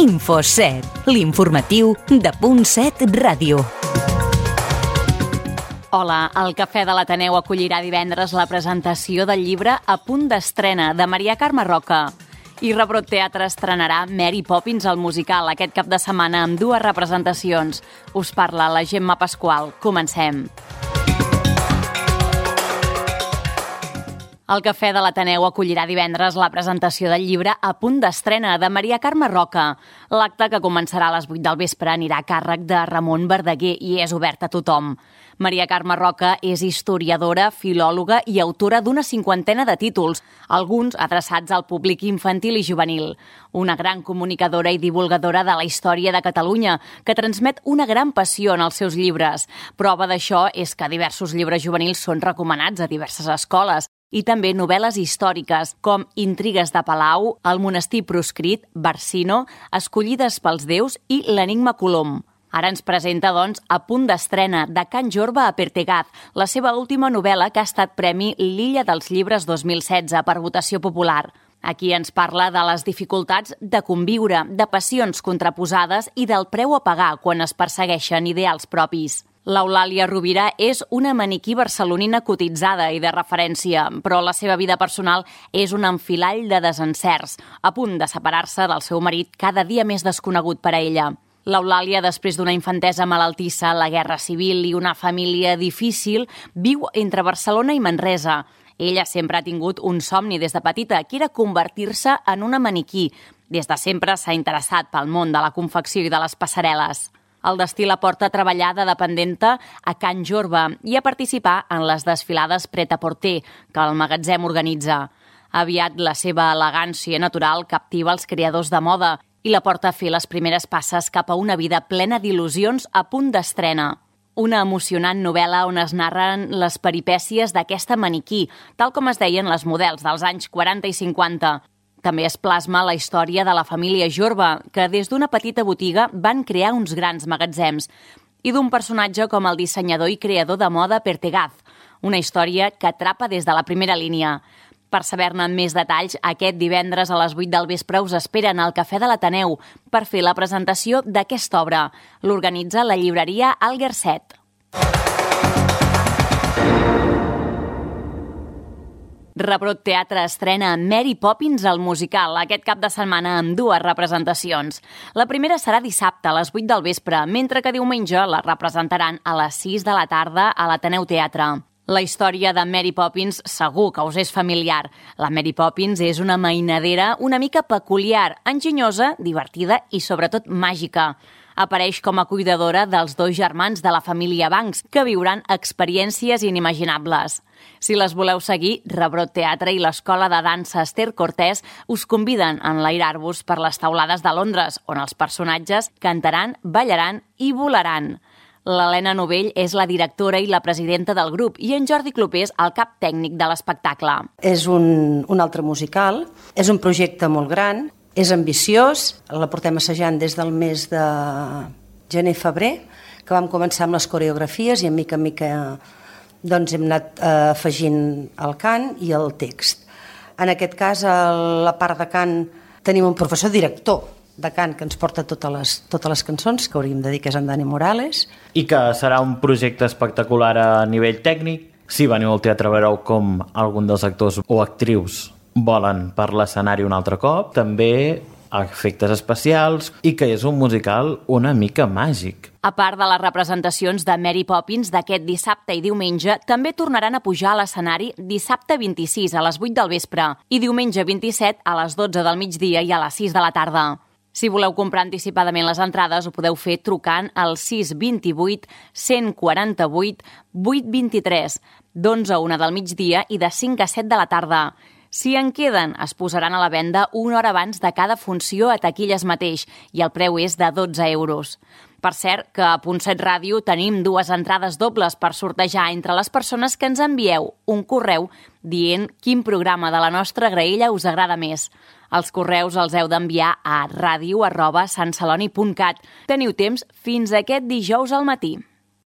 Info7, l'informatiu de .7 Ràdio. Hola, el Cafè de l'Ateneu acollirà divendres la presentació del llibre A punt d'estrena, de Maria Carme Roca. I Rebrot Teatre estrenarà Mary Poppins, el musical, aquest cap de setmana amb 2 representacions. Us parla la Gemma Pasqual. Comencem. El Cafè de l'Ateneu acollirà divendres la presentació del llibre A punt d'estrena, de Maria Carme Roca. L'acte, que començarà a les 8 del vespre, anirà a càrrec de Ramon Verdaguer i és obert a tothom. Maria Carme Roca és historiadora, filòloga i autora d'una 50ena de títols, alguns adreçats al públic infantil i juvenil. Una gran comunicadora i divulgadora de la història de Catalunya, que transmet una gran passió en els seus llibres. Prova d'això és que diversos llibres juvenils són recomanats a diverses escoles, i també novel·les històriques, com Intrigues de Palau, El monestir proscrit, Barsino, Escollides pels déus i L'enigma Colom. Ara ens presenta, doncs, A punt d'estrena, de Can Jorba a Pertegaz, la seva última novel·la, que ha estat premi L'Illa dels Llibres 2016 per votació popular. Aquí ens parla de les dificultats de conviure, de passions contraposades i del preu a pagar quan es persegueixen ideals propis. L'Eulàlia Rovira és una maniquí barcelonina cotitzada i de referència, però la seva vida personal és un enfilall de desencerts, a punt de separar-se del seu marit cada dia més desconegut per a ella. L'Eulàlia, després d'una infantesa malaltissa, la guerra civil i una família difícil, viu entre Barcelona i Manresa. Ella sempre ha tingut un somni des de petita, que era convertir-se en una maniquí. Des de sempre s'ha interessat pel món de la confecció i de les passarel·les. El destí la porta a treballar de dependenta a Can Jorba i a participar en les desfilades Pret-a-Porter que el magatzem organitza. Aviat la seva elegància natural captiva els creadors de moda i la porta a fer les primeres passes cap a una vida plena d'il·lusions a punt d'estrena. Una emocionant novel·la on es narren les peripècies d'aquesta maniquí, tal com es deien les models dels anys 40 i 50. També es plasma la història de la família Jorba, que des d'una petita botiga van crear uns grans magatzems, i d'un personatge com el dissenyador i creador de moda Pertegaz, una història que atrapa des de la primera línia. Per saber-ne més detalls, aquest divendres a les 8 del vespre us esperen al Cafè de l'Ateneu per fer la presentació d'aquesta obra. L'organitza la llibreria Alguerset. Rebrot Teatre estrena Mary Poppins, el musical, aquest cap de setmana amb 2 representacions. La primera serà dissabte a les 8 del vespre, mentre que diumenge la representaran a les 6 de la tarda a l'Ateneu Teatre. La història de Mary Poppins segur que us és familiar. La Mary Poppins és una mainadera una mica peculiar, enginyosa, divertida i sobretot màgica. Apareix com a cuidadora dels 2 germans de la família Banks, que viuran experiències inimaginables. Si les voleu seguir, Rebrot Teatre i l'Escola de Dansa Esther Cortés us conviden a enlairar-vos per les taulades de Londres, on els personatges cantaran, ballaran i volaran. L'Helena Novell és la directora i la presidenta del grup i en Jordi Clopés el cap tècnic de l'espectacle. És un altre musical, és un projecte molt gran, és ambiciós, la portem assajant des del mes de gener-febrer, que vam començar amb les coreografies i en mica doncs hem anat afegint el cant i el text. En aquest cas, a la part de cant, tenim un professor director de cant que ens porta totes les cançons, que hauríem de dir que és en Dani Morales. I que serà un projecte espectacular a nivell tècnic. Si veniu al teatre veureu com algun dels actors o actrius volen per l'escenari un altre cop, també efectes especials i que és un musical una mica màgic. A part de les representacions de Mary Poppins d'aquest dissabte i diumenge, també tornaran a pujar a l'escenari dissabte 26 a les 8 del vespre i diumenge 27 a les 12 del migdia i a les 6 de la tarda. Si voleu comprar anticipadament les entrades, ho podeu fer trucant al 628 148 823, d'11 a 1 del migdia i de 5 a 7 de la tarda. Si en queden, es posaran a la venda una hora abans de cada funció a taquilles mateix i el preu és de 12 euros. Per cert, que a .7 Ràdio tenim 2 entrades dobles per sortejar entre les persones que ens envieu un correu dient quin programa de la nostra graella us agrada més. Els correus els heu d'enviar a radio@santceloni.cat. Teniu temps fins aquest dijous al matí.